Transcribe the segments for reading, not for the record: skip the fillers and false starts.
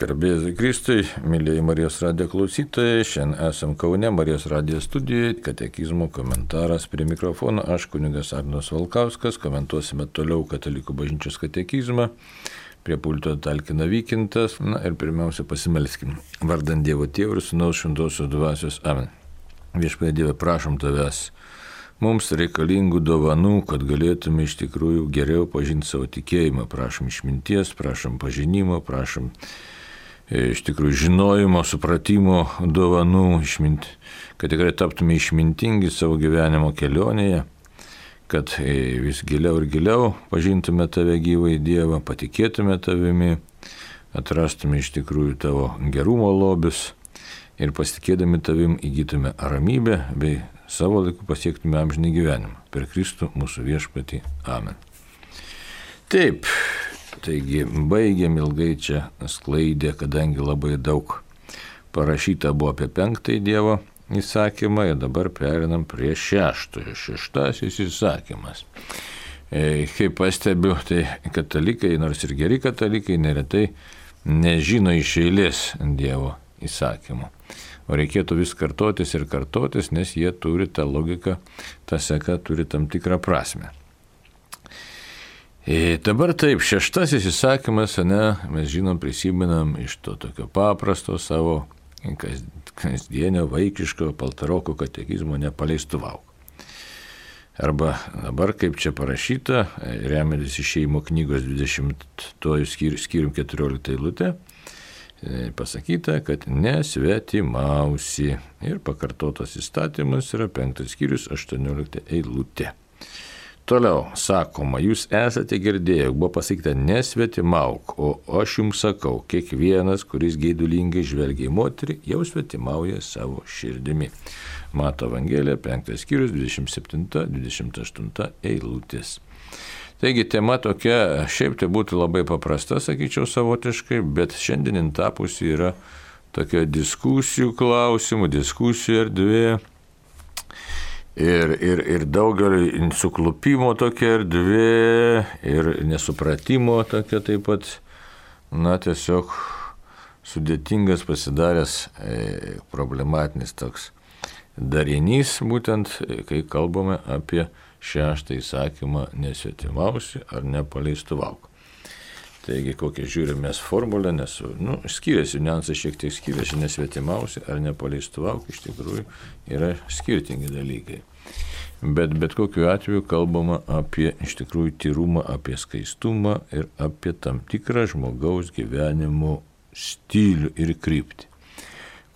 Garbėsiu Kristui, mėlyjei Marijos radijo klausytojai, šiandien esam Kaune Marijos radijo studijoje, katekizmo komentaras prie mikrofono, aš kunigas Arnas Valkauskas, komentuosime toliau Katalikų bažnyčios katekizmą, prie pulto talkina Vykintas, ir pirmiausia pasimelskim. Vardant Dievo Tėvo ir Sūnaus Šventosios Dvasios. Amen. Viešpatie Dieve, prašom Tavęs mums reikalingų dovanų, kad galėtume iš tikrųjų geriau pažinti savo tikėjimą. Prašom išminties, prašom pažinimo, prašom iš tikrųjų žinojimo, supratimo dovanų, kad tikrai taptume išmintingi savo gyvenimo kelionėje, kad vis giliau ir giliau pažintume Tave gyvąjį Dievą, patikėtume Tavimi, atrastume iš tikrųjų Tavo gerumo lobius ir pasitikėdami Tavim įgytume ramybę bei savo laiku pasiektume amžinį gyvenimą. Per Kristų mūsų viešpatį. Amen. Taip. Taigi baigėm ilgai čia sklaidę, kadangi labai daug parašyta buvo apie 5 Dievo įsakymą ir dabar perinam prie 6. 6 įsakymas. Kaip pastebiu, tai katalikai, nors ir geri katalikai, neretai nežino iš eilės Dievo įsakymų. O reikėtų vis kartotis ir kartotis, nes jie turi tą logiką, ta seka turi tam tikrą prasme. Dabar taip, 6 įsakymas, mes žinom, prisimenam iš to tokio paprasto savo kasdienio vaikiško paltaroko katekizmo nepaleistuvau. Arba dabar, kaip čia parašyta, remiantis Išėjimo knygos 20 skyrium 14 eilutė, pasakyta, kad nesvetimausi. Ir pakartotas įstatymas yra 5 skyrius 18 eilutė. Toliau sakoma, jūs esate girdėję, buvo pasakyta nesvetimauk, o aš jums sakau, kiekvienas, kuris geidulingai žvelgia į moterį, jau svetimauja savo širdimi. Mato Evangelija, 5 skyrius, 27-28 eilutės. Taigi tema tokia, šiaip tai būtų labai paprasta, sakyčiau savotiškai, bet šiandien tapusi yra tokia diskusijų klausimų, diskusijų erdvė. Ir daugelio suklupimo tokia erdvė ir nesupratimo tokia taip pat, tiesiog sudėtingas pasidaręs problematinis toks darinys, būtent kai kalbame apie 6 įsakymą nesvetimausi ar nepaleistuvau. Taigi, kokią žiūrime mes formulę, nes skiriasi, niuansai šiek tiek skiriasi, nesvetimausi ar nepaleistuvau, iš tikrųjų yra skirtingi dalykai. Bet kokiu atveju kalbama apie iš tikrųjų tyrumą, apie skaistumą ir apie tam tikrą žmogaus gyvenimo stilių ir kryptį.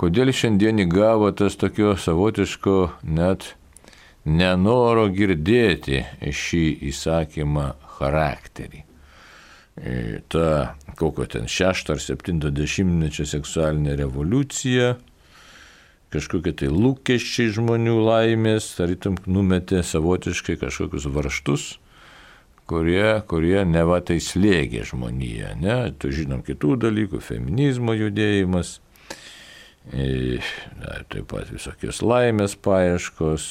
Kodėl šiandien įgavo tas tokio savotiško net nenoro girdėti šį įsakymą charakterį? Ta, kokio ten 6 ar 70-mečio seksualinė revoliucija, kažkokie tai lūkesčiai žmonių laimės, tarytum numetė savotiškai kažkokius varžtus, kurie neva tai slėgė žmoniją. Tu žinom kitų dalykų, feminizmo judėjimas, taip pat visokios laimės paieškos,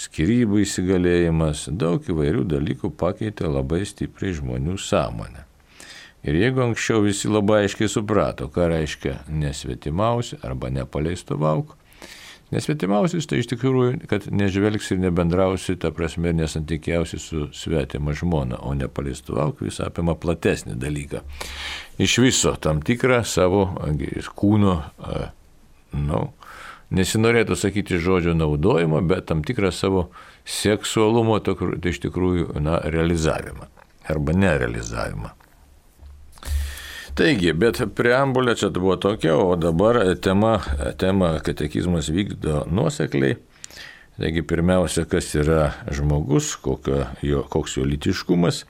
skyrybų įsigalėjimas, daug įvairių dalykų pakeitė labai stipriai žmonių sąmonę. Ir jeigu anksčiau visi labai aiškiai suprato, ką reiškia nesvetimausi arba nepaleistuvau, nesvetimausis tai iš tikrųjų, kad nežvelgsi ir nebendrausi, ta prasme, nesantykiausi su svetima žmona, o nepaleistuvau vis apima platesnį dalyką. Iš viso tam tikrą savo kūno, nesinorėtų sakyti žodžio naudojimo, bet tam tikrą savo seksualumo tai iš tikrųjų realizavimą arba nerealizavimą. Taigi, bet preambulė čia buvo tokia, o dabar tema katekizmas vykdo nuosekliai. Taigi, pirmiausia, kas yra žmogus, koks jo lytiškumas,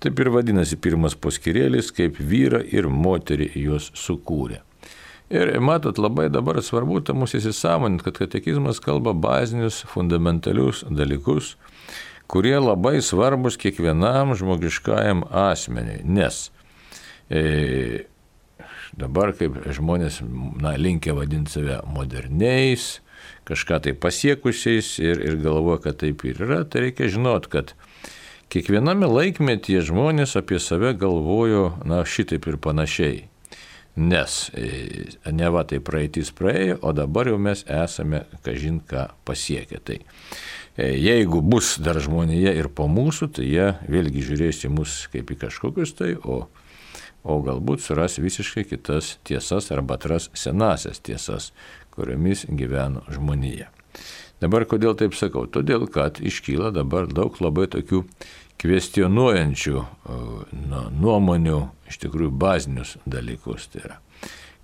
taip ir vadinasi pirmas poskyrėlis, kaip vyrą ir moterį juos sukūrė. Ir matot, labai dabar svarbu mūsų įsisąmoninti, kad katekizmas kalba bazinius, fundamentalius dalykus, kurie labai svarbus kiekvienam žmogiškajam asmeniui, nes dabar kaip žmonės linkę vadinti save moderniais, kažką tai pasiekusiais ir galvoja, kad taip ir yra, tai reikia žinot, kad kiekviename laikmetyje žmonės apie save galvojo šitaip ir panašiai. nes neva tai praeitis praėjo, o dabar jau mes esame kažin ką pasiekę. Tai jeigu bus dar žmonėje ir po mūsų, tai jie vėlgi žiūrės į mus kaip į kažkokius tai, o galbūt suras visiškai kitas tiesas arba atras senasias tiesas, kuriomis gyveno žmonija. Dabar kodėl taip sakau? Todėl, kad iškyla dabar daug labai tokių kvestionuojančių nuomonių, iš tikrųjų bazinius dalykus. Tai yra,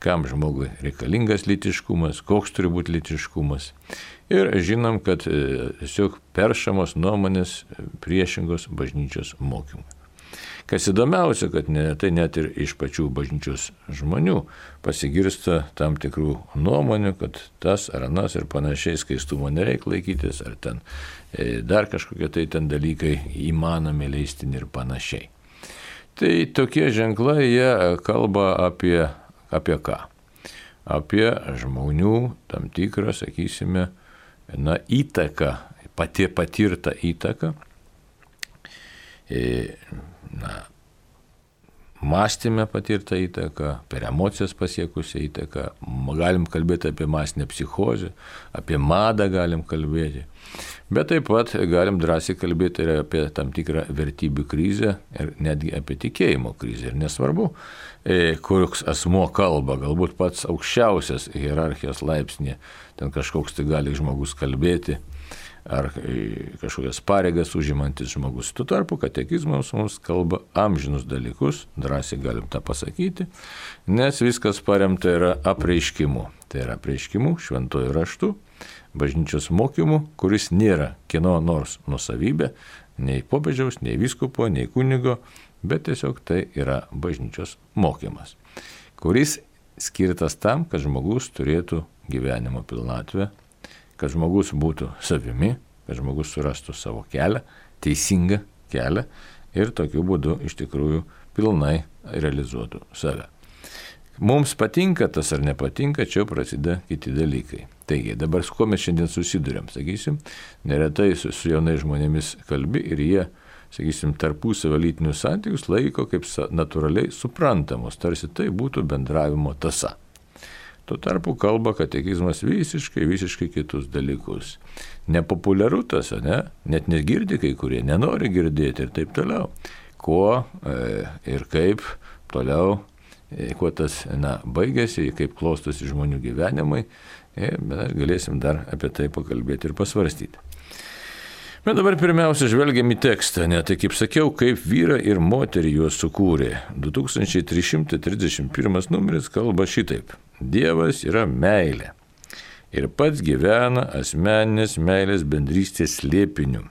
kam žmogui reikalingas lytiškumas, koks turi būti lytiškumas. Ir žinom, kad tiesiog peršamos nuomonės priešingos bažnyčios mokymui. Kas įdomiausia, kad tai net ir iš pačių bažnyčios žmonių pasigirsta tam tikrų nuomonių, kad tas ar anas ir panašiai skaistumo nereikia laikytis, ar ten dar kažkokie tai ten dalykai įmanomi leistini ir panašiai. Tai tokie ženklai, jie kalba apie ką? Apie žmonių tam tikrą, sakysime, įtaką, patirtą įtaką, mąstymę patirtą įtaką, per emocijas pasiekusią įtaką, galim kalbėti apie masinę psichozę, apie madą galim kalbėti, bet taip pat galim drąsiai kalbėti ir apie tam tikrą vertybių krizę ir netgi apie tikėjimo krizę. Ir nesvarbu, koks asmuo kalba, galbūt pats aukščiausias hierarchijos laipsnė, ten kažkoks tai gali žmogus kalbėti, ar kažkokias pareigas užimantis žmogus. Tuo tarpu katekizmas mums kalba amžinus dalykus, drąsiai galim tą pasakyti, nes viskas paremta yra apreiškimu. Tai yra apreiškimu šventuoju raštu, bažnyčios mokymu, kuris nėra kieno nors nusavybė, nei popiežiaus, nei vyskupo, nei kunigo, bet tiesiog tai yra bažnyčios mokymas, kuris skirtas tam, kad žmogus turėtų gyvenimo pilnatvę, kad žmogus būtų savimi, kad žmogus surastų savo kelią, teisingą kelią ir tokiu būdu iš tikrųjų pilnai realizuotų save. Mums patinka tas ar nepatinka, čia prasideda kiti dalykai. Taigi, dabar su kuo mes šiandien susidurėm, sakysim, neretai su jaunais žmonėmis kalbi ir jie, sakysim, tarpusavio lytinius santykius laiko kaip natūraliai suprantamos, tarsi tai būtų bendravimo tąsa. Tuo tarpu kalba katekizmas visiškai kitus dalykus. Nepopuliaru tas, ne? Net negirdi kai kurie, nenori girdėti ir taip toliau. Kuo ir kaip toliau, kuo tas baigėsi, kaip klostosi žmonių gyvenimai, mes galėsim dar apie tai pakalbėti ir pasvarstyti. Bet dabar pirmiausia žvelgiam į tekstą, tai kaip sakiau, kaip vyrą ir moterį juos sukūrė. 2331 numeris kalba šitaip. Dievas yra meilė ir pats gyvena asmeninės meilės bendrystės slėpiniu.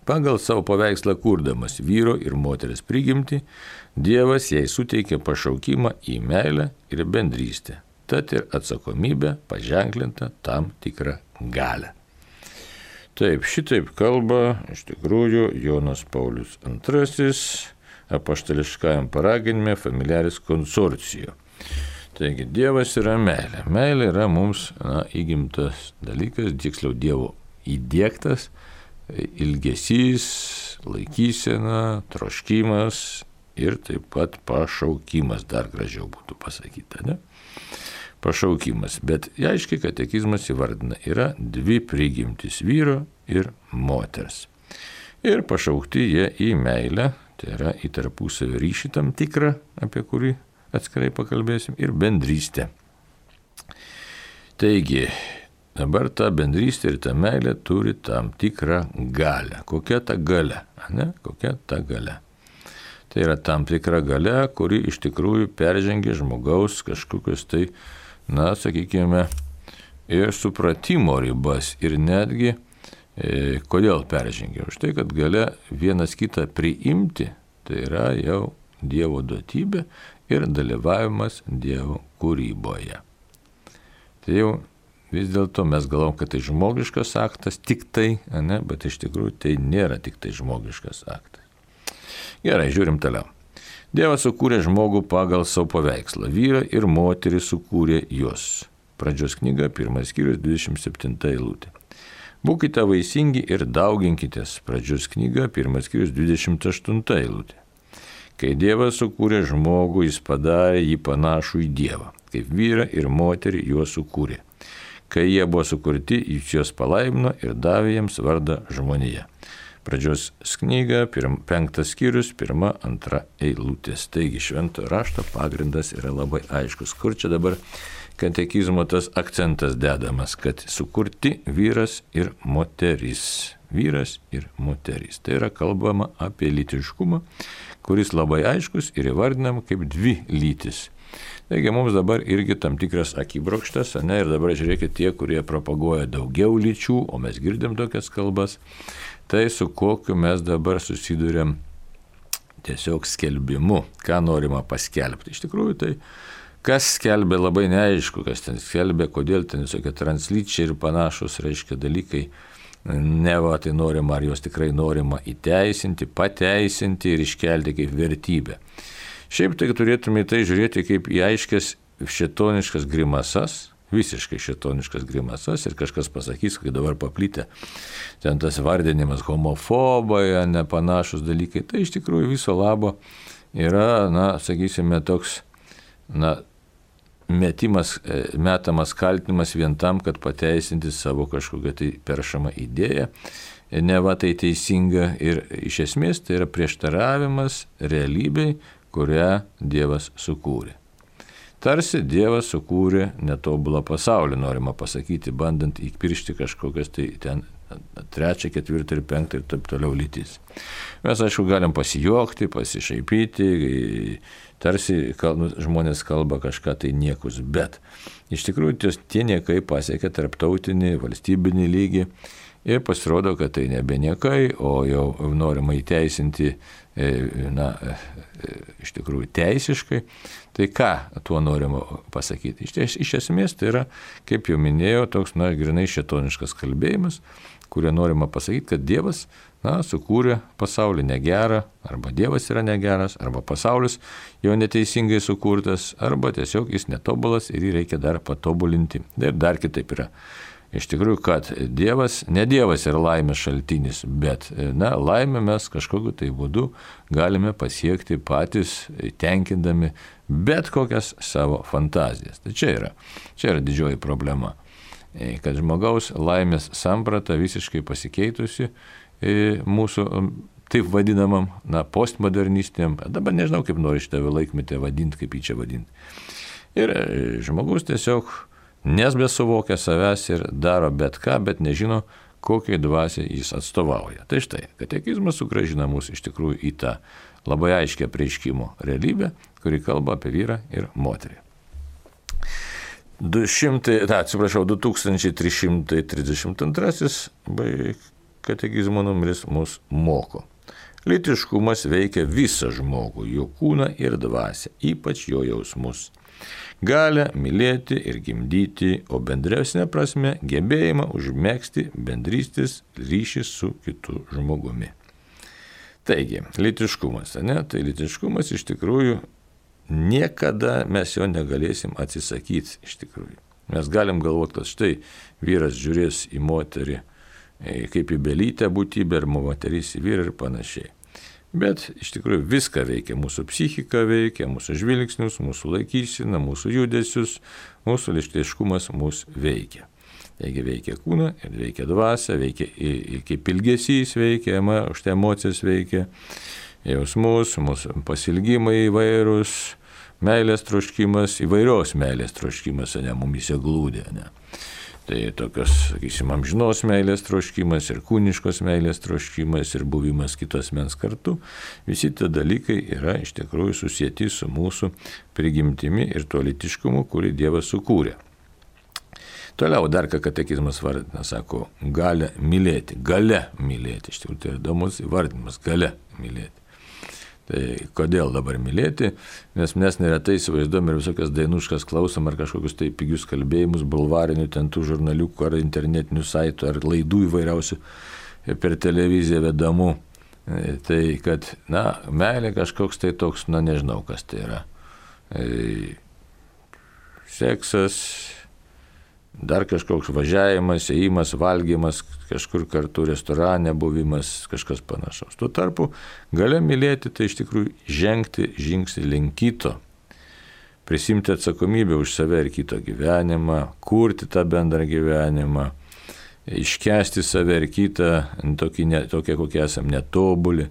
Pagal savo paveikslą kurdamas vyro ir moteris prigimtį, Dievas jai suteikė pašaukimą į meilę ir bendrystę, tad ir atsakomybė paženklinta tam tikrą galią. Taip, šitaip kalba iš tikrųjų Jonas Paulius II apaštališkajam paraginime Familiaris Consortio. Taigi, Dievas yra meilė. Meilė yra mums įgimtas dalykas, tiksliau Dievo įdiegtas ilgesys, laikysena, troškimas ir taip pat pašaukimas, dar gražiau būtų pasakyta, ne? Pašaukimas, bet aiškiai katekizmas įvardina, yra dvi prigimtys vyro ir moters. Ir pašaukti jie į meilę, tai yra į tarpusavio ryšį tam tikrą, apie kurį atskirai pakalbėsim, ir bendrystę. Taigi, dabar ta bendrystė ir ta meilė turi tam tikrą galią. Kokia ta galia? Kokia ta galia? Tai yra tam tikra galia, kuri iš tikrųjų peržengia žmogaus kažkokius tai, sakykime, ir supratimo ribas. Ir netgi, kodėl peržengia? Už tai, kad galia vienas kitą priimti, tai yra jau Dievo duotybė ir dalyvavimas Dievo kūryboje. Tai jau vis dėlto mes galvom, kad tai žmogiškas aktas, tik tai, bet iš tikrųjų tai nėra tik tai žmogiškas aktas. Gerai, žiūrim toliau. Dievas sukūrė žmogų pagal savo paveikslą. Vyrą ir moterį sukūrė juos. Pradžios knyga, 1 skyrius, 27 eilutė. Būkite vaisingi ir dauginkitės. Pradžios knyga, 1 skyrius, 28 eilutė. Kai Dievas sukūrė žmogų, jis padarė jį panašų į Dievą, kaip vyrą ir moterį juos sukūrė. Kai jie buvo sukurti, jis juos palaimino ir davė jiems vardą žmonija. Pradžios knyga, 5 skyrius, 1-2 eilutės. Taigi šventojo rašto pagrindas yra labai aiškus. Kur čia dabar katekizmo tas akcentas dedamas, kad sukurti vyras ir moteris. Vyras ir moteris. Tai yra kalbama apie lytiškumą, kuris labai aiškus ir įvardinam kaip dvi lytis. Taigi mums dabar irgi tam tikras akibrokštas, ir dabar žiūrėkit tie, kurie propaguoja daugiau lyčių, o mes girdim tokias kalbas, tai su kokiu mes dabar susidurėm tiesiog skelbimu, ką norima paskelbti. Iš tikrųjų, tai kas skelbia labai neaišku, kas ten skelbia, kodėl ten visokie translyčiai ir panašus, reiškia, dalykai, neva tai norima, ar jos tikrai norima įteisinti, pateisinti ir iškelti kaip vertybę. Šiaip tai turėtume į tai žiūrėti kaip į aiškias šėtoniškas grimasas, visiškai šėtoniškas grimasas, ir kažkas pasakys, kai dabar paplytė ten tas vardinimas homofobai, nepanašus dalykai, tai iš tikrųjų viso labo yra, sakysime, toks, metamas kaltinimas vien tam, kad pateisinti savo kažkokią tai peršamą idėją, neva tai teisinga ir iš esmės tai yra prieštaravimas realybei, kurią Dievas sukūrė. Tarsi Dievas sukūrė netobulą pasaulį, norima pasakyti, bandant įpiršti kažkokias tai ten 3, 4 ir 5 ir taip toliau lytis. Mes, aišku, galim pasijuokti, pasišaipyti, tarsi žmonės kalba kažką tai niekus, bet iš tikrųjų tie niekai pasiekia tarptautinį, valstybinį lygį ir pasirodo, kad tai nebe niekai, o jau norima įteisinti, iš tikrųjų teisiškai. Tai ką tuo norima pasakyti? Iš esmės tai yra, kaip jau minėjau, toks, grinai šėtoniškas kalbėjimas, kurio norima pasakyti, kad Dievas, sukūrė pasaulį negerą, arba Dievas yra negeras, arba pasaulis jau neteisingai sukurtas, arba tiesiog jis netobulas ir jį reikia dar patobulinti. Ir dar kitaip yra. Iš tikrųjų, kad Dievas, ne Dievas yra laimės šaltinis, bet laimę mes kažkokiu tai būdu galime pasiekti patys, tenkindami bet kokias savo fantazijas. Tai čia yra didžioji problema, kad žmogaus laimės samprata visiškai pasikeitusi mūsų taip vadinamam, postmodernistiniam, dabar nežinau, kaip nori šitą laikmetę vadinti, kaip jį čia vadinti. Ir žmogus tiesiog nesbesuvokia savęs ir daro bet ką, bet nežino, kokiai dvasiai jis atstovauja. Tai štai, katekizmas sugrąžina mus iš tikrųjų į tą labai aiškę apreiškimo realybę, kuri kalba apie vyrą ir moterį. 2332 katekizmo numeris mus moko. Lytiškumas veikia visą žmogų, jo kūną ir dvasią, ypač jo jausmus. Gali mylėti ir gimdyti, o bendresnė prasme gebėjimą užmegzti bendrystės ryšį su kitu žmogumi. Taigi, lytiškumas, Tai lytiškumas iš tikrųjų niekada mes jo negalėsim atsisakyti iš tikrųjų. Mes galim galvoti, kad štai vyras žiūrės į moterį kaip į belytę būtybę, ar moteris į vyrą ir panašiai. Bet iš tikrųjų viską veikia, mūsų psichika veikia, mūsų žvilgsnius, mūsų laikyseną, mūsų judesius, mūsų lytiškumas mūsų veikia. Taigi veikia kūną ir veikia dvasią, veikia kaip ilgesys veikia, už tai emocijas veikia, jausmus, mūsų pasilgimai įvairūs, meilės troškimas, įvairios meilės troškimas, mumyse glūdė. Tai tokios, sakysim, amžinos meilės troškimas ir kūniškos meilės troškimas ir buvimas kitos mens kartu, visi tie dalykai yra iš tikrųjų susieti su mūsų prigimtimi ir tuo lytiškumu, kurį Dievas sukūrė. Toliau dar ką katekizmas vardina, sako, galia mylėti, iš tikrųjų tai įdomus įvardinimas, galia mylėti. Tai kodėl dabar mylėti? Nes mes neretai įsivaizduom ir visokias dainuškas klausom ar kažkokius tai pigius kalbėjimus, bulvarinių ten tų žurnaliukų ar internetinių saitų ar laidų įvairiausių per televiziją vedamų. Tai kad, meilė kažkoks tai toks, nežinau kas tai yra. Seksas, dar kažkoks važiavimas, ėjimas, valgymas, kažkur kartu restorane buvimas, kažkas panašaus. Tuo tarpu galia mylėti tai iš tikrųjų žengti žingsnį link kito, prisimti atsakomybę už save ir kito gyvenimą, kurti tą bendrą gyvenimą, iškęsti save ir kitą, tokie kokie esam netobuli.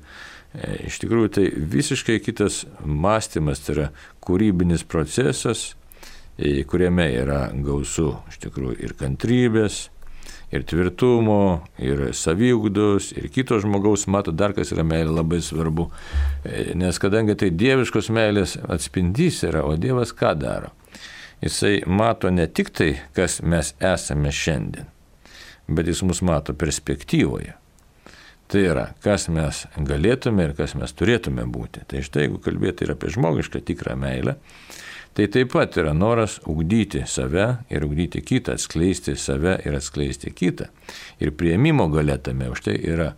Iš tikrųjų tai visiškai kitas mąstymas, tai yra kūrybinis procesas, kuriame yra gausu iš tikrųjų ir kantrybės, ir tvirtumo, ir saviugdos, ir kito žmogaus, mato dar kas yra meilė labai svarbu, nes kadangi tai dieviškos meilės atspindys yra, o Dievas ką daro? Jisai mato ne tik tai, kas mes esame šiandien, bet jis mus mato perspektyvoje. Tai yra, kas mes galėtume ir kas mes turėtume būti. Tai štai, jeigu kalbėti ir apie žmogišką tikrą meilę, tai taip pat yra noras ugdyti save ir ugdyti kitą, atskleisti save ir atskleisti kitą. Ir priėmimo galia tame už tai yra.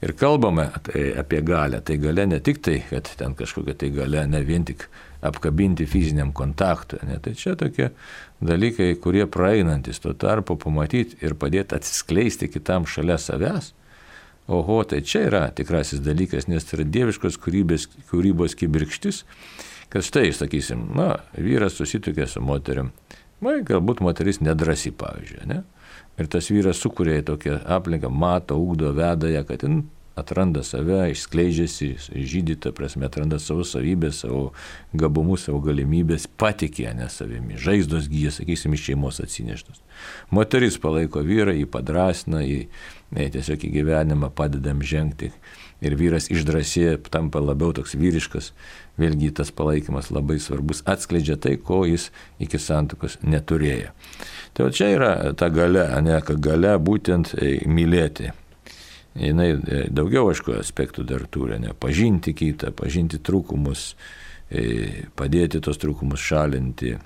Ir kalbame apie galę. Tai galia ne tik tai, kad ten kažkokia tai galia, ne vien tik apkabinti fiziniam kontaktui. Ne? Tai čia tokie dalykai, kurie praeinantis, tuo tarpu pamatyti ir padėti atsiskleisti kitam šalia savęs. Oho, tai čia yra tikrasis dalykas, nes tai yra dieviškos kūrybos kibirkštis, kad štai, sakysim, vyras susituokė su moterim, galbūt moteris nedrasi, pavyzdžiui, ne? Ir tas vyras sukuria tokią aplinką, mato, ugdo, veda ją, kad jin atranda save, išskleidžiasi, žydi, ta prasme, atranda savo savybės, savo gabumus, savo galimybės, patikė savimi, žaizdos gyja, sakysim, iš šeimos atsineštos. Moteris palaiko vyrą, jį padrasina, jį tiesiog į gyvenimą padedam žengti. Ir vyras išdrasėja, tampa labiau toks vyriškas, vėlgi tas palaikymas labai svarbus, atskleidžia tai, ko jis iki santuokos neturėjo. Tai čia yra ta galia, galia būtent mylėti. Jinai daugiau, aišku, aspektų dar turi, pažinti kitą, pažinti trūkumus, padėti tos trūkumus šalinti,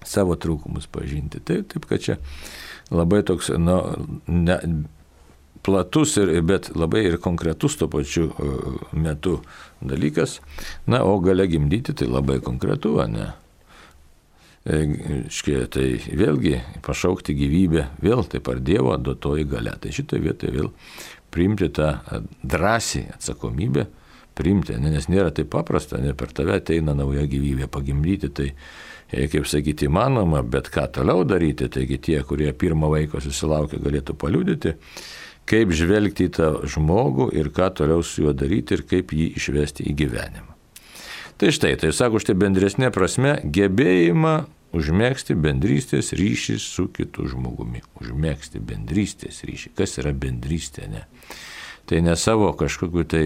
savo trūkumus pažinti. Taip, kad čia labai toks, platus, bet labai ir konkretus tuo pačiu metu dalykas. O galia gimdyti tai labai konkretu, ne? Tai vėlgi pašaukti gyvybę, vėl taip ar Dievo duotoji galia. Tai šitoje vietoje vėl priimti tą drąsiai atsakomybę, priimti, nes nėra taip paprasta, ne per tave ateina nauja gyvybė pagimdyti, tai kaip sakyti įmanoma, bet ką toliau daryti, taigi tie, kurie pirmą vaiką susilaukia, galėtų paliudyti, kaip žvelgti į tą žmogų ir ką toliau su juo daryti ir kaip jį išvesti į gyvenimą. Tai štai, tai sako, štai bendresnė prasme, gebėjimą užmėgsti bendrystės ryšį su kitu žmogumi. Užmėgsti bendrystės ryšį. Kas yra bendrystė, ne? Tai ne savo kažkokiu tai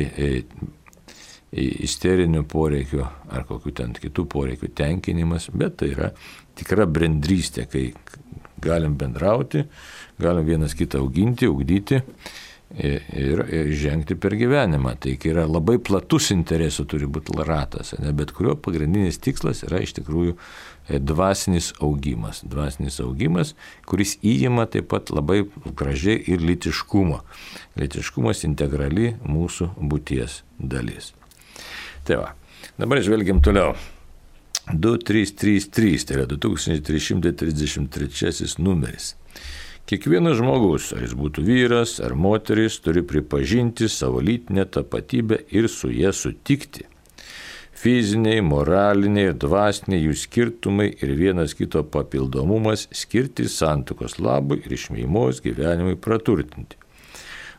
isterinių poreikių ar kokių ten kitų poreikių tenkinimas, bet tai yra tikra bendrystė, kai galim bendrauti, galim vienas kitą auginti, ugdyti ir žengti per gyvenimą. Tai yra labai platus interesų turi būti ratas, bet kurio pagrindinis tikslas yra iš tikrųjų dvasinis augimas. Dvasinis augimas, kuris įima taip pat labai gražiai ir lytiškumą. Lytiškumas integrali mūsų būties dalis. Tai va, dabar žvelgiam toliau. 2333, tai yra 2333 numeris. Kiekvienas žmogus, ar jis būtų vyras ar moteris, turi pripažinti savo lytinę tapatybę ir su jie sutikti. Fiziniai, moraliniai ir dvasiniai jų skirtumai ir vienas kito papildomumas skirti santuokos labui ir šeimos gyvenimui praturtinti.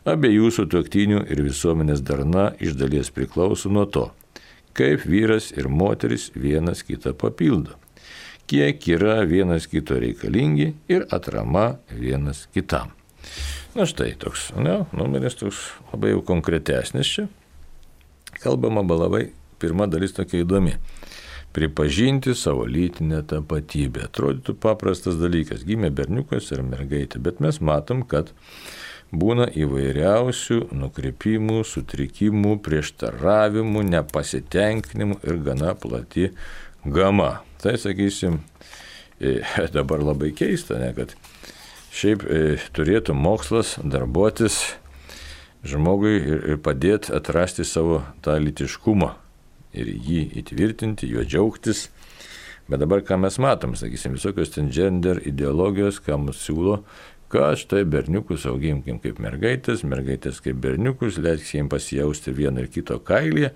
Abiejų sutuoktinių ir visuomenės darna iš dalies priklauso nuo to, kaip vyras ir moteris vienas kitą papildo, kiek yra vienas kito reikalingi ir atrama vienas kitam. Na štai toks, numeris toks labai jau konkretesnis čia. Kalbama labai, pirma dalis tokia įdomi. Pripažinti savo lytinę tapatybę. Atrodytų paprastas dalykas, gimė berniukas ir mergaitė, bet mes matom, kad būna įvairiausių nukrypimų, sutrikimų, prieštaravimų, nepasitenkinimų ir gana plati gama. Tai, sakysim, dabar labai keista, kad šiaip turėtų mokslas darbuotis žmogui ir padėti atrasti savo tą lytiškumą ir jį įtvirtinti, juo džiaugtis. Bet dabar ką mes matom, sakysim, visokios ten gender ideologijos, ką mums siūlo, kad štai berniukus auginkim kaip mergaitės, mergaitės kaip berniukus, leiskime jiems pasijausti vieno ir kito kailyje.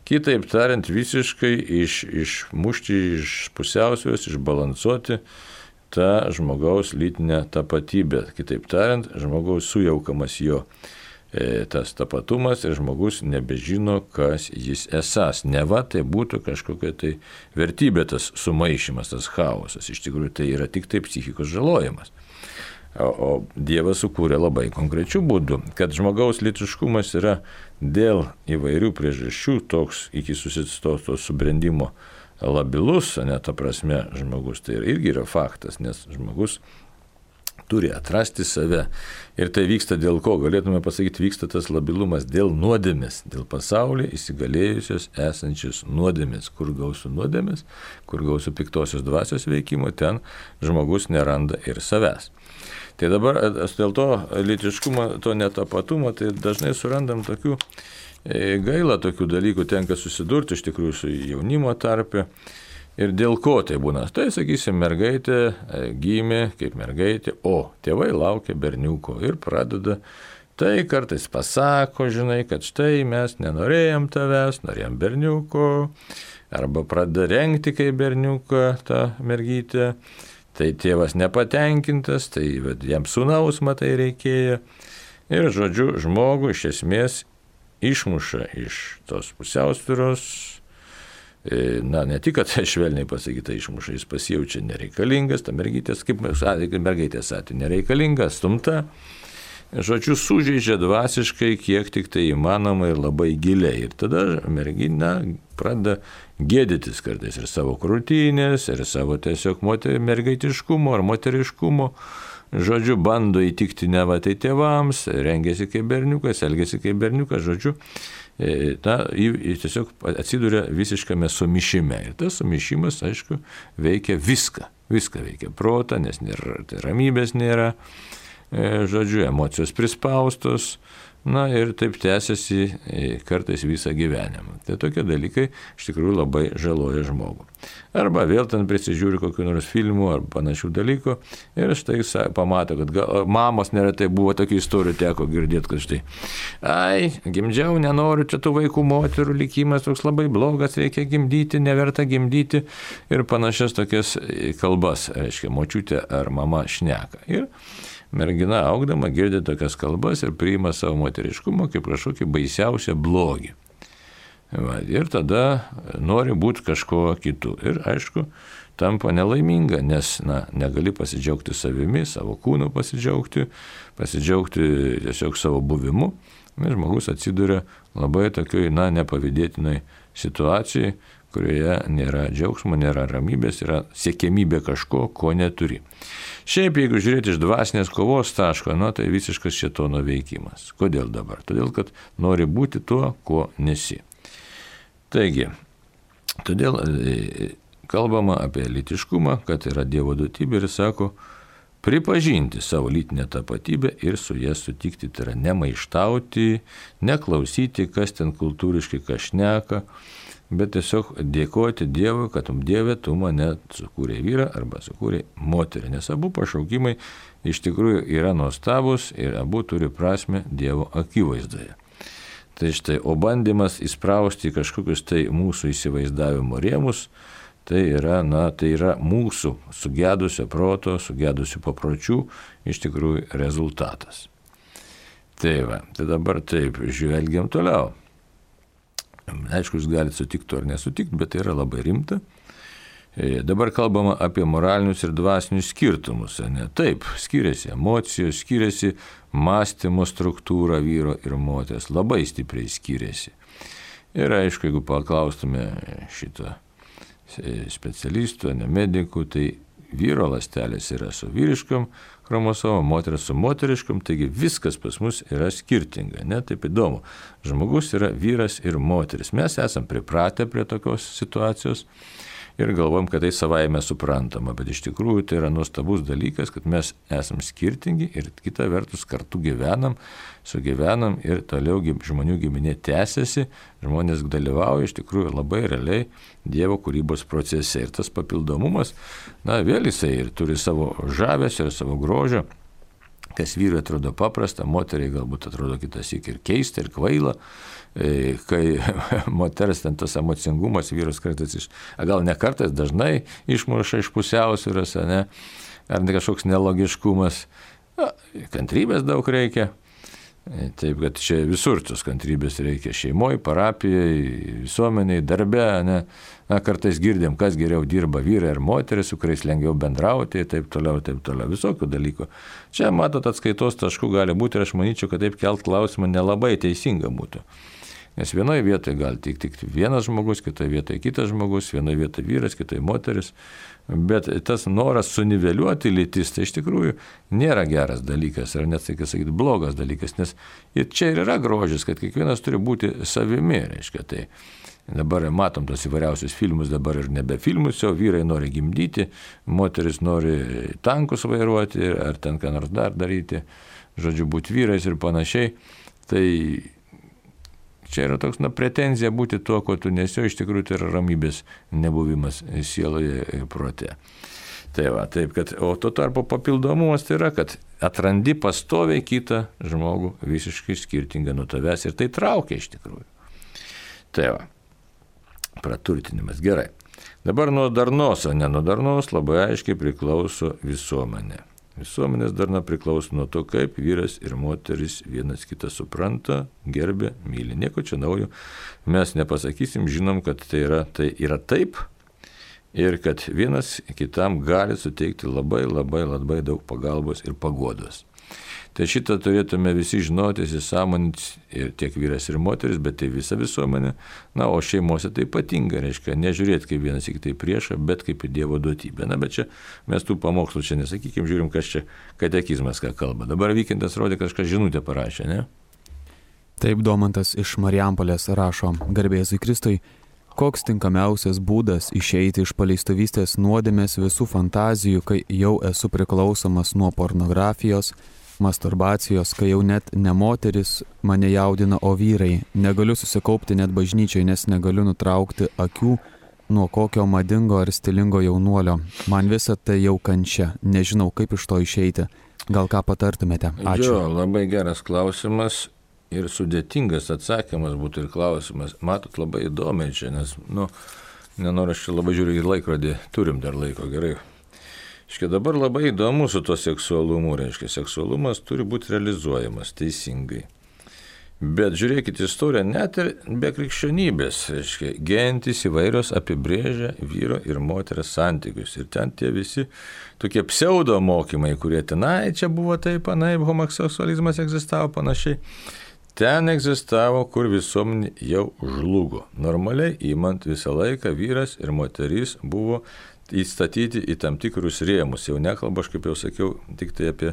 Kitaip tariant, visiškai išmušti iš pusiausvės, išbalansuoti tą žmogaus lytinę tapatybę. Kitaip tariant, žmogaus sujaukamas jo tas tapatumas ir žmogus nebežino, kas jis esas. Neva tai būtų kažkokia tai vertybė, tas sumaišymas, tas chaosas. Iš tikrųjų tai yra tik tai psichikos žalojimas. O Dievas sukūrė labai konkrečių būdų, kad žmogaus lytiškumas yra dėl įvairių priežasčių toks iki susistoto subrendimo labilus, ne ta prasme žmogus, tai irgi yra faktas, nes žmogus turi atrasti save. Ir tai vyksta dėl ko? Galėtume pasakyti, vyksta tas labilumas dėl nuodėmės, dėl pasaulyje įsigalėjusios esančios nuodėmės. Kur gausiu nuodėmės, kur gausiu piktosios dvasios veikimo, ten žmogus neranda ir savęs. Tai dabar dėl to lytiškumo, to netapatumo, tai dažnai surandam tokių gaila tokių dalykų, tenka susidurti iš tikrųjų su jaunimo tarpe. Ir dėl ko tai būna? Tai, sakysim, mergaitė gimė kaip mergaitė, o tėvai laukia berniuko ir pradeda, tai kartais pasako, žinai, kad štai mes nenorėjom tavęs, norėjom berniuko, arba pradeda rengti kaip berniuką tą mergytę, tai tėvas nepatenkintas, tai jam sūnaus matai reikėjo. Ir, žodžiu, žmogų iš esmės išmuša iš tos pusiausvyros. Ne tik, kad švelniai pasakyta išmuša, jis pasijaučia nereikalingas, ta mergytės, kaip mergaitės atveju, nereikalinga, stumta. Žodžiu, sužeidžia dvasiškai, kiek tik tai įmanoma ir labai giliai. Ir tada mergina pradeda gėdytis kartais ir savo krūtinės, ir savo tiesiog mergaitiškumo ar moteriškumo. Žodžiu, bando įtikti neva tai tėvams, rengiasi kaip berniukas, elgiasi kaip berniukas, žodžiu, tiesiog atsiduria visiškame sumišime. Ir tas sumišimas, aišku, veikia viską. Viską veikia protą, nes ramybės nėra, žodžiu, emocijos prispaustos, ir taip tęsiasi kartais visą gyvenimą. Tai tokie dalykai iš tikrųjų labai žaloja žmogų. Arba vėl ten prisižiūri kokių nors filmų ar panašių dalykų ir štai pamato, kad mamos neretai buvo tokių istorijų, teko girdėti, kad štai, gimdžiau, nenoriu, čia tų vaikų moterų likimas toks labai blogas, reikia gimdyti, neverta gimdyti ir panašias tokias kalbas, reiškia, močiutė ar mama šneka. Ir mergina augdama girdi tokias kalbas ir priima savo moteriškumą kaip kažkokį baisiausią blogį. Ir tada nori būti kažko kitu. Ir aišku, tampa nelaiminga, nes negali pasidžiaugti savimi, savo kūnu pasidžiaugti tiesiog savo buvimu. Ir žmogus atsiduria labai tokioj, nepavydėtinai situacijai, kurioje nėra džiaugsmo, nėra ramybės, yra siekiamybė kažko, ko neturi. Šiaip, jeigu žiūrėti iš dvasinės kovos taško, tai visiškas šėtono veikimas. Kodėl dabar? Todėl, kad nori būti tuo, ko nesi. Taigi, todėl kalbama apie lytiškumą, kad yra Dievo duotybė ir sako, pripažinti savo lytinę tapatybę ir su ją sutikti, tai yra nemaištauti, neklausyti, kas ten kultūriškai šneka, bet tiesiog dėkoti Dievui, kad Dieve tu mane sukūrė vyrą arba sukūrė moterį, nes abu pašaukimai iš tikrųjų yra nuostabus ir abu turi prasmę Dievo akivaizdoje. Tai štai, o bandymas įsprausti kažkokius tai mūsų įsivaizdavimo rėmus, tai yra mūsų sugedusio proto, sugedusių papročių iš tikrųjų rezultatas. Tai dabar taip, žvelgiam toliau. Aišku, jūs galite sutikti ar nesutikti, bet tai yra labai rimta. Dabar kalbama apie moralinius ir dvasinius skirtumus. Taip, skiriasi emocijos, skiriasi mąstymo struktūra vyro ir moters, labai stipriai skiriasi. Ir aišku, jeigu paklaustume šito specialistų, medikų, tai vyro ląstelės yra su vyriškom chromosomom, moteris su moteriškom, taigi viskas pas mus yra skirtinga, taip įdomu. Žmogus yra vyras ir moteris. Mes esam pripratę prie tokios situacijos ir galvojam, kad tai savaime suprantama, bet iš tikrųjų tai yra nuostabus dalykas, kad mes esam skirtingi ir kita vertus kartu gyvenam, sugyvenam ir toliau žmonių giminė tęsiasi, žmonės dalyvauja iš tikrųjų labai realiai Dievo kūrybos procese ir tas papildomumas, vėl jisai ir turi savo žavesio ir savo grožio, kas vyrui atrodo paprasta, moteriai galbūt atrodo kitąsyk ir keista, ir kvaila, kai moters ten tas emocingumas vyrus kartais gal ne kartais, dažnai išmuša iš pusiausvyros, ar ne kažkoks nelogiškumas, kantrybės daug reikia. Taip, kad čia visur tos kantrybės reikia šeimoje, parapijoje, visuomeniai, darbe, kartais girdim, kas geriau dirba, vyrai ar moteris, su kuriais lengviau bendrauti, taip toliau, visokių dalykų. Čia, matot, atskaitos taškų gali būti ir aš manyčiau, kad taip kelt klausimą nelabai teisinga būtų. Nes vienoje vietoje gali tik vienas žmogus, kitoje vietoje kitas žmogus, vienoje vietoje vyras, kitoje moteris. Bet tas noras suniveliuoti lytis, tai iš tikrųjų nėra geras dalykas, ar net, sakyti, blogas dalykas, nes ir čia ir yra grožis, kad kiekvienas turi būti savimi, reiškia. Tai dabar matom tos įvairiausius filmus, dabar ir nebe filmus, o vyrai nori gimdyti, moteris nori tankus vairuoti, ar ten ką nors dar daryti, žodžiu, būti vyrais ir panašiai. Tai čia yra toks, pretenzija būti tuo, ko tu nesi, iš tikrųjų tai yra ramybės nebuvimas sieloje ir prote. Tai va, taip, kad, o tuo tarpu papildomumas tai yra, kad atrandi pastoviai kitą žmogų visiškai skirtingą nuo tavęs ir tai traukia iš tikrųjų. Tai va, praturtinimas, gerai. Dabar nuo darnos, o ne nuo darnos labai aiškiai priklauso visuomenė. Visuomenės darna priklauso nuo to, kaip vyras ir moteris vienas kitą supranta, gerbia, myli. Nieko čia naujo mes nepasakysim, žinom, kad tai yra taip ir kad vienas kitam gali suteikti labai daug pagalbos ir paguodos. Tai šitą turėtume visi žinoti, įsisąmoninti ir tiek vyras ir moteris, bet tai visa visuomenė. O šeimose tai ypatinga, reiškia, nežiūrėti kaip vienas į tai priešą, bet kaip į Dievo duotybę. Bet čia mes tų pamokslų čia nesakykim, žiūrim, kas čia katekizmas ką kalba. Dabar Vykintas rodė, kažką žinutę parašė, ne? Taip, Domantas iš Marijampolės rašo: Garbėzui Kristui, koks tinkamiausias būdas išeiti iš paleistuvystės nuodėmės visų fantazijų, kai jau esu priklausomas nuo pornografijos, masturbacijos, kai jau net ne moteris mane jaudina, o vyrai. Negaliu susikaupti net bažnyčiai, nes negaliu nutraukti akių nuo kokio madingo ar stilingo jaunuolio. Man visa tai jau kančia. Nežinau, kaip iš to išeiti. Gal ką patartumėte? Ačiū. Labai geras klausimas ir sudėtingas atsakymas būtų ir klausimas. Matot, labai įdomiai čia, nes, nenoriu aš čia labai žiūriu į laikrodį. Turim dar laiko, gerai. Dabar labai įdomu su to seksualumu, reiškia, seksualumas turi būti realizuojamas teisingai. Bet žiūrėkit, istorija net ir be krikščionybės, reiškia, gentys įvairios apibrėžia vyro ir moters santykius. Ir ten tie visi tokie pseudo mokymai, kurie tenai čia buvo taip, anaip, homoseksualizmas egzistavo panašiai. Ten egzistavo, kur visuomenė jau žlugo. Normaliai įmant visą laiką vyras ir moteris buvo įstatyti į tam tikrus rėmus. Jau nekalbu, aš kaip jau sakiau, tik tai apie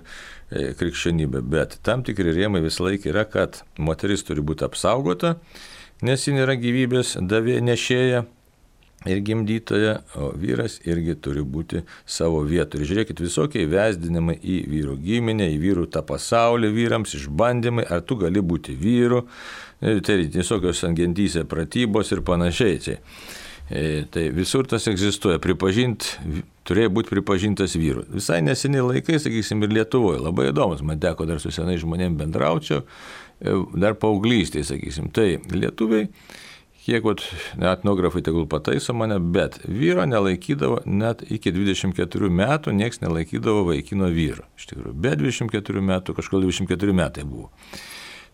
krikščionybę, bet tam tikri rėmai visą laiką yra, kad moteris turi būti apsaugota, nes ji nėra gyvybės nešėja ir gimdytoja, o vyras irgi turi būti savo vietoje. Ir žiūrėkit, visokie įvesdinimai į vyrų giminę, į vyrų tą pasaulį vyrams, išbandymai, ar tu gali būti vyru, tai visokios antgentyse pratybos ir panašiai. Tai visur tas egzistuoja, turėjo būti pripažintas vyru. Visai neseniai laikai, sakysim, ir Lietuvoje, labai įdomus, man teko dar su senai žmonėm bendraučiau, dar paauglystėje, sakysim. Tai lietuviai, kiek etnografai tegul pataiso mane, bet vyro nelaikydavo net iki 24 metų, nieks nelaikydavo vaikino vyru. Iš tikrųjų, be 24 metų, kažkol 24 metai buvo.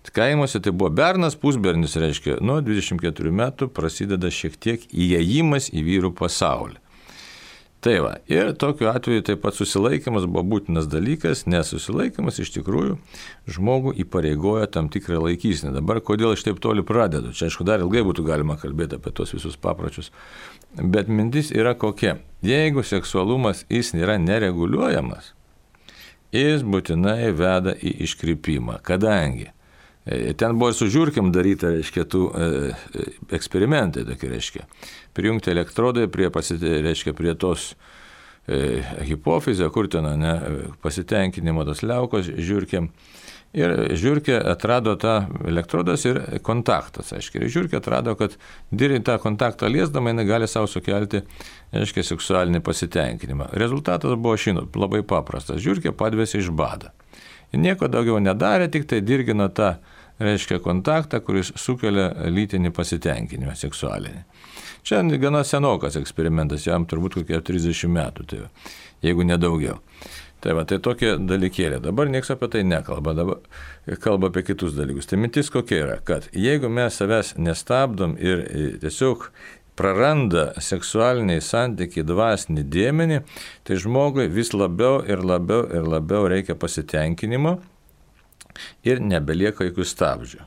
Kaimuose tai buvo bernas, pusbernis, reiškia, nuo 24 metų prasideda šiek tiek įėjimas į vyrų pasaulį. Tai va, ir tokiu atveju taip pat susilaikymas buvo būtinas dalykas, nes susilaikymas iš tikrųjų žmogų įpareigoja tam tikrą laikysinę. Dabar kodėl aš taip toli pradedu? Čia aišku dar ilgai būtų galima kalbėti apie tos visus papročius, bet mintis yra kokia. Jeigu seksualumas jis nėra nereguliuojamas, jis būtinai veda į iškrypimą, kadangi Ten buvo ir su žiurkėm daryta, reiškia, tų eksperimentai, tokie, reiškia. Prijungti elektrodai prie tos hipofizio, kur ten pasitenkinimo tos liaukos žiurkėm. Ir žiurkė atrado tą elektrodas ir kontaktas, aiškiai. Ir žiurkė atrado, kad tą kontaktą liesdama jinai gali savo sukelti, aiškiai, seksualinį pasitenkinimą. Rezultatas buvo labai paprastas. Žiurkė padvėsi iš bado. Ir nieko daugiau nedarė, tik tai dirgino tą, reiškia, kontaktą, kuris sukelia lytinį pasitenkinimą seksualinį. Čia gana senokas eksperimentas, jam turbūt kokie 30 metų, tai jeigu nedaugiau. Tai tokie dalykėlė. Dabar niekas apie tai nekalba, dabar kalba apie kitus dalykus. Tai mintis kokia yra, kad jeigu mes savęs nestabdom ir tiesiog praranda seksualiniai santykiai dvasinį dėmenį, tai žmogui vis labiau ir labiau reikia pasitenkinimo ir nebelieka jokių stabdžių.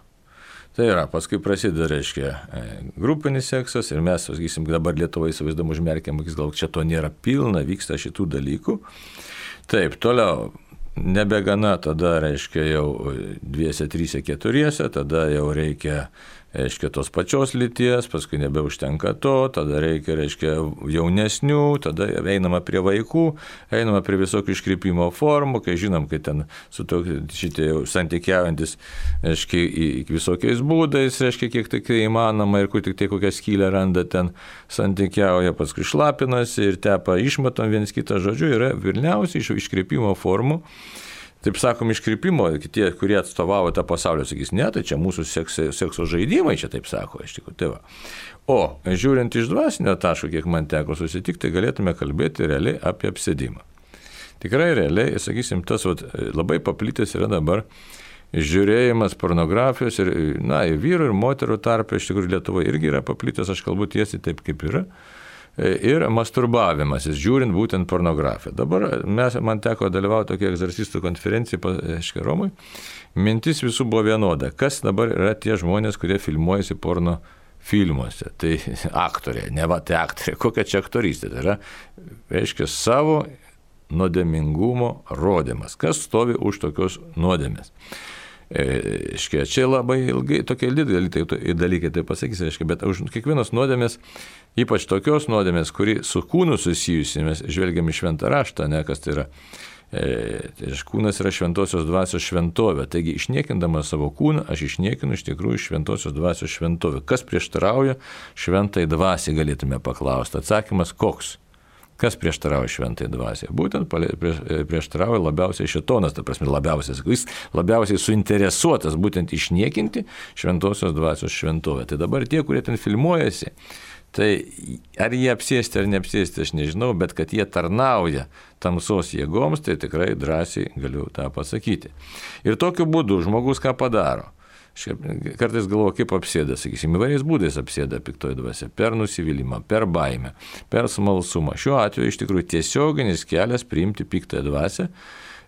Tai yra, paskui prasideda, reiškia, grupinis seksas ir mes, sakysim, dabar Lietuvoje įsivaizduom užmerkiam akis, gal čia to nėra pilna, vyksta šitų dalykų. Taip, toliau, nebegana tada, reiškia, jau 2, 3, 4, tada jau reikia, reiškia, tos pačios lyties, paskui nebeužtenka to, tada reikia, reiškia, jaunesnių, tada einama prie vaikų, einama prie visokių iškrypimo formų, kai žinom, kai ten su šitie jau santykiaujantis, reiškia, visokiais būdais, reiškia, kiek tik tai įmanoma ir kur tik tai kokią skylę randa ten santykiauja, paskui šlapinasi ir tepa išmatom viens kitą, žodžiu, yra vilniausiai iškrypimo formų. Taip sakom, iškrypimo, tie, kurie atstovavo tą pasaulį, sakys, ne, tai čia mūsų sekso žaidimai, čia taip sako, iš tikrųjų, tai va. O žiūrint iš dvasinio taško, kiek man teko susitikti, tai galėtume kalbėti realiai apie apsėdimą. Tikrai realiai, sakysim, tas labai paplitęs yra dabar žiūrėjimas pornografijos ir, ir vyrų ir moterų tarpe, iš tikrųjų Lietuvoje irgi yra paplitęs, aš kalbu tiesiai taip, kaip yra. Ir masturbavimasis, žiūrint būtent pornografiją. Dabar man teko dalyvauti tokia egzorcistų konferencija, Romui. Mintis visų buvo vienoda. Kas dabar yra tie žmonės, kurie filmuojasi porno filmuose? Tai aktoriai, tai aktoriai. Kokia čia aktorystė? Tai yra, reiškia, savo nuodėmingumo rodymas. Kas stovi už tokios nuodėmės? Čia labai ilgai, tokie dalykai tai pasakys, bet už kiekvienos nuodėmės, ypač tokios nuodėmės, kuri su kūnu susijusi, mes žvelgiam į šventą raštą, kas tai yra. Kūnas yra šventosios dvasios šventovė, taigi išniekindamas savo kūną, aš išniekinu iš tikrųjų šventosios dvasios šventovę. Kas prieštarauja šventai dvasiai, galėtume paklausti. Atsakymas koks? Kas prieštarauja šventai dvasiai? Būtent prieštarauja labiausiai šėtonas, ta prasme jis labiausiai suinteresuotas būtent išniekinti šventosios dvasios šventovę. Tai dabar tie, kurie ten filmuojasi, tai ar jie apsėsti ar neapsėsti, aš nežinau, bet kad jie tarnauja tamsos jėgoms, tai tikrai drąsiai galiu tą pasakyti. Ir tokiu būdu žmogus ką padaro? Kartais galvoju, kaip apsėda, sakysim, įvairiais būdais apsėda piktoji dvasia, per nusivylimą, per baimę, per smalsumą. Šiuo atveju iš tikrųjų tiesioginis kelias priimti piktąją dvasią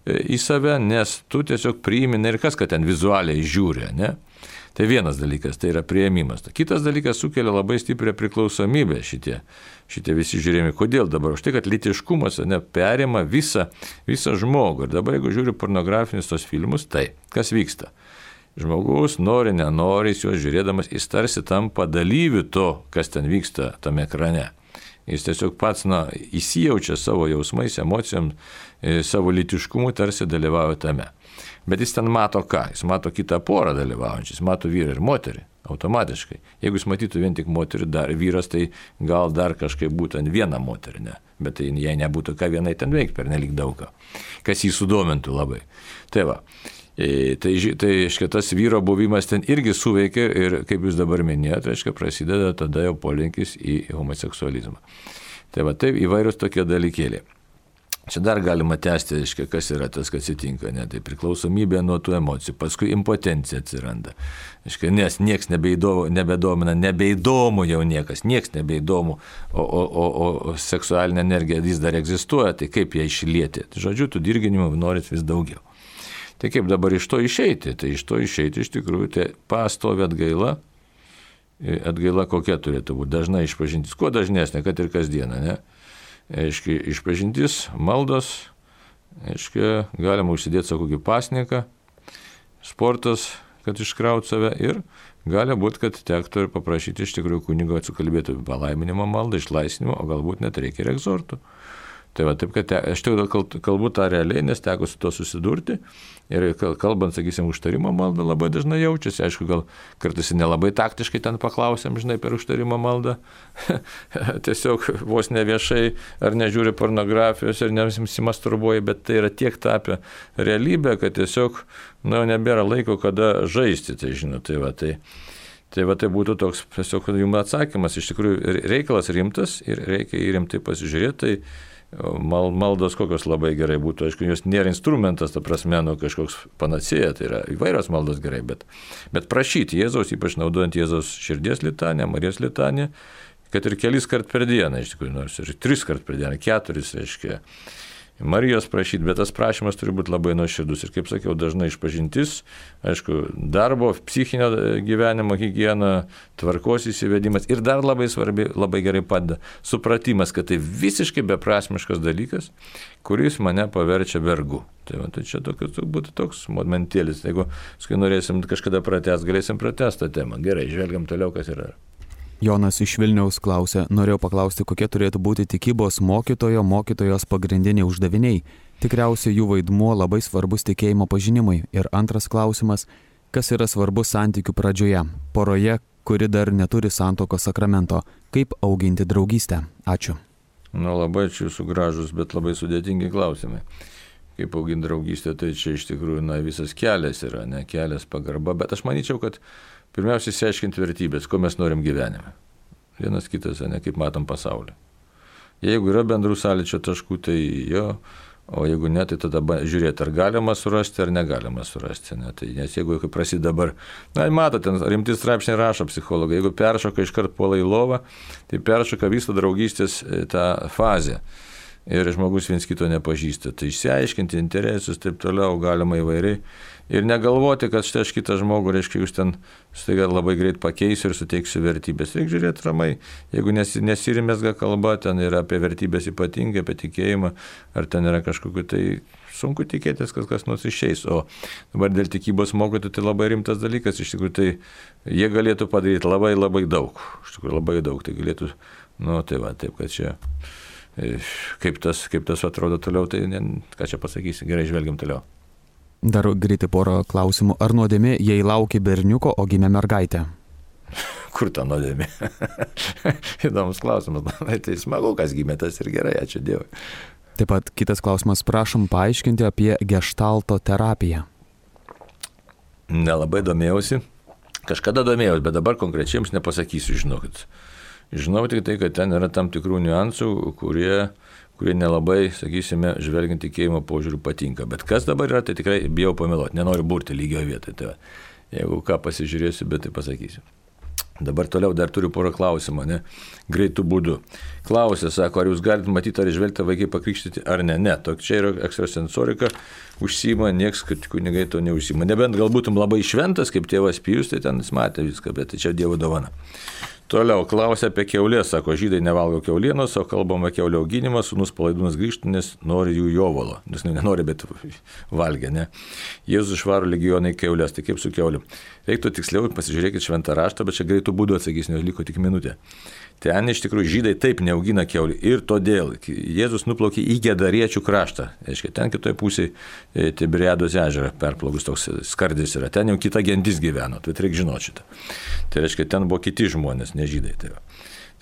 į save, nes tu tiesiog priimi, ir kas, kad ten vizualiai žiūri, ne? Tai vienas dalykas, tai yra priėmimas. Kitas dalykas sukelia labai stiprią priklausomybę šitie visi žiūrėjimai. Kodėl dabar? Už tai, kad lytiškumas perima visą žmogų. Ir dabar, jeigu žiūri pornografinius tos filmus, tai kas vyksta? Žmogus nori, nenori, juos žiūrėdamas, jis tarsi tampa dalyviu to, kas ten vyksta tame ekrane. Jis tiesiog pats įsijaučia savo jausmais, emocijom, savo lytiškumu, tarsi dalyvauja tame. Bet jis ten mato ką? Jis mato kitą porą dalyvaujančią, jis mato vyrą ir moterį, automatiškai. Jeigu jis matytų vien tik moterį, vyras, tai gal dar kažkaip būtų vieną moterį, ne? Bet tai jei nebūtų ką vienai ten veikti, per nelik daug ką, kas jį sudomintų labai. Tai va. Tai tas vyro buvimas ten irgi suveikia ir, kaip jūs dabar minėjote, prasideda tada jau polinkis į homoseksualizmą. Tai va, taip įvairius tokie dalykėliai. Čia dar galima tęsti, kas yra tas, kas atsitinka, ne? Tai priklausomybė nuo tų emocijų, paskui impotencija atsiranda, nes nieks nebedomina, nebeįdomu jau niekas, nieks nebeįdomu, o seksualinė energija vis dar egzistuoja, tai kaip ją išlieti? Žodžiu, tų dirginimų norit vis daugiau. Tai kaip dabar iš to išeiti? Tai iš to išeiti iš tikrųjų tai pastovi atgaila. Atgaila kokia turėtų būti? Dažnai išpažintis. Kuo dažnesnė, kad ir kasdieną, ne? Išpažintis, maldos, galima užsidėti savo kokį pasniką, sportas, kad iškraut save ir gali būti, kad tektų ir paprašyti iš tikrųjų kunigo atsikalbėti palaiminimo maldą, išlaisvinimo, o galbūt net reikia ir egzortų. Tai va, taip, kad aš tik kalbu tą realiai, nes teko su to susidurti ir kalbant, sakysim, užtarimo maldą labai dažnai jaučiasi, aišku, gal kartais nelabai taktiškai ten paklausėm, žinai, per užtarimo maldą, tiesiog vos ne viešai ar nežiūri pornografijos ir nesimasturbuoja, bet tai yra tiek tapę realybę, kad tiesiog, nebėra laiko, kada žaisti, tai žinot, Tai būtų toks tiesiog jums atsakymas, iš tikrųjų reikalas rimtas ir reikia į rimtai pasižiūrėti, tai maldos kokios labai gerai būtų, aišku, jos nėra instrumentas, ta prasme, kažkoks panacėja, tai yra įvairios maldos gerai, bet prašyti Jėzaus, ypač naudojant Jėzaus širdies litaniją, Marijos litaniją, kad ir kelis kart per dieną, iš tikrųjų, nors ir 3 kart per dieną, 4, reiškia, Marijos prašyti, bet tas prašymas turi būti labai nuoširdus ir, kaip sakiau, dažnai išpažintis, aišku, darbo, psichinio gyvenimo higiena, tvarkos įsivedimas ir dar labai svarbi, labai gerai padeda supratimas, kad tai visiškai beprasmiškas dalykas, kuris mane paverčia vergu. Tai čia būtų toks momentėlis, jeigu norėsim kažkada pratęsti, galėsim pratęsti tą temą. Gerai, žvelgiam toliau, kas yra. Jonas iš Vilniaus klausė, norėjau paklausti, kokie turėtų būti tikybos mokytojos pagrindiniai uždaviniai. Tikriausiai jų vaidmuo labai svarbus tikėjimo pažinimui. Ir antras klausimas, kas yra svarbus santykių pradžioje, poroje, kuri dar neturi santuokos sakramento, kaip auginti draugystę. Ačiū. Labai čia jūsų gražus, bet labai sudėtingi klausimai. Kaip auginti draugystę, tai čia iš tikrųjų visas kelias yra, ne kelias pagarba, bet aš manyčiau, kad pirmiausia, išsiaiškinti vertybės, ko mes norim gyvenime. Vienas kitas, ne kaip matom pasaulį. Jeigu yra bendrų sąlyčio taškų, tai jo, o jeigu ne, tai tada žiūrėti, ar galima surasti, ar negalima surasti. Ne? Tai, nes jeigu prasideda dabar, matote, rimti straipsniai rašo psichologai, jeigu peršoka iškart puola į lovą, tai peršoka visą draugystės tą fazę. Ir žmogus viens kito nepažįsta. Tai išsiaiškinti interesus, taip toliau galima įvairiai. Ir negalvoti, kad štai aš kitą žmogų, reiškia, jūs ten staiga labai greit pakeisiu ir suteiksiu vertybės. Reikia žiūrėti ramai. Jeigu nesirimėsga kalba, ten yra apie vertybės ypatingai, apie tikėjimą, ar ten yra kažkokiu, tai sunku tikėtis, kad kas nors išeis. O dabar dėl tikybos mokytojų tai labai rimtas dalykas. Iš tikrųjų, tai jie galėtų padaryti labai, labai daug. Iš tikrųjų, labai daug. Tai galėtų, taip, kad čia... Kaip tas atrodo toliau, tai ką čia pasakysi, gerai, žvelgiam toliau. Dar greitai porą klausimų. Ar nuodėmė, jei lauki berniuko, o gimė mergaitė? Kur ta nuodėmė? Įdomus klausimas. Tai smagu, kas gimė, tas ir gerai, ačiū Dievui. Taip pat kitas klausimas, prašom paaiškinti apie geštalto terapiją. Nelabai domėjausi. Kažkada domėjausi, bet dabar konkrečiai jums nepasakysiu, žinokit. Žinau tik tai, kad ten yra tam tikrų niuansų, kurie nelabai, sakysime, žvelgiant tikėjimo požiūrių patinka. Bet kas dabar yra, tai tikrai bijau pameluoti, nenoriu burti lygio vietoj. Tai jeigu ką pasižiūrėsiu, bet tai pasakysiu. Dabar toliau dar turiu porą klausimą, greitų būdų. Klausė, sako, ar jūs galite matyti, ar išvelgti vaikai pakrikštyti, ar ne. Ne, čia yra ekstrasensorika, užsima, nieks, kad kunigai to neužsima. Nebent gal būtum labai šventas, kaip tėvas Pijus, tai ten jis matė viską, bet tai čia Dievo dovana. Toliau klausė apie kiaulės, sako, žydai nevalgo kiaulienos, o kalbama kiaulio auginimą, sūnus Palaidūnas grįžtų, nes nori jų jovalo. Nes nenori, bet valgia, ne. Jėzus išvaro legionai kiaulės, tai kaip su kiauliu. Reiktų tiksliau, pasižiūrėkit šventą raštą, bet čia greitų būdų atsakys, nes liko tik minutė. Ten iš tikrųjų žydai taip neaugina kiaulių ir todėl Jėzus nuplaukė į Gedariečių kraštą. Reiškia, ten kitoje pusėje Tiberiados ežerą perplaukus toks skardis yra. Ten jau kita gentis gyveno, tai reikia žinoti šitą. Tai reiškia, ten buvo kiti žmonės, ne žydai.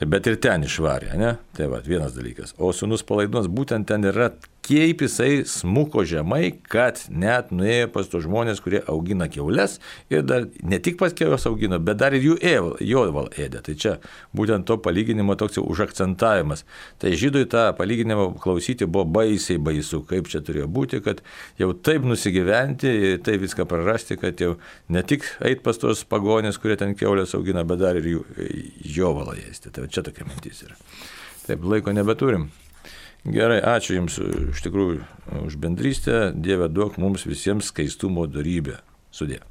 Bet ir ten išvarė, ne? Tai vienas dalykas. O sūnus Palaidūnas būtent ten yra, kaip jisai smuko žemai, kad net nuėjo pas tos žmonės, kurie augina kiaules ir dar ne tik pas kiaules augino, bet dar ir jų jovalą ėdė. Tai čia būtent to palyginimo toks jau užakcentavimas. Tai žydui tą palyginimą klausyti buvo baisiai baisu, kaip čia turėjo būti, kad jau taip nusigyventi, taip viską prarasti, kad jau ne tik eit pas tos pagonės, kurie ten kiaulės augina, bet dar ir jų jovalą ėsti. Tai čia tokia mintis yra. Taip, laiko nebeturim. Gerai, ačiū Jums iš tikrųjų už bendrystę. Dieve duok mums visiems skaistumo dorybę. Sudie.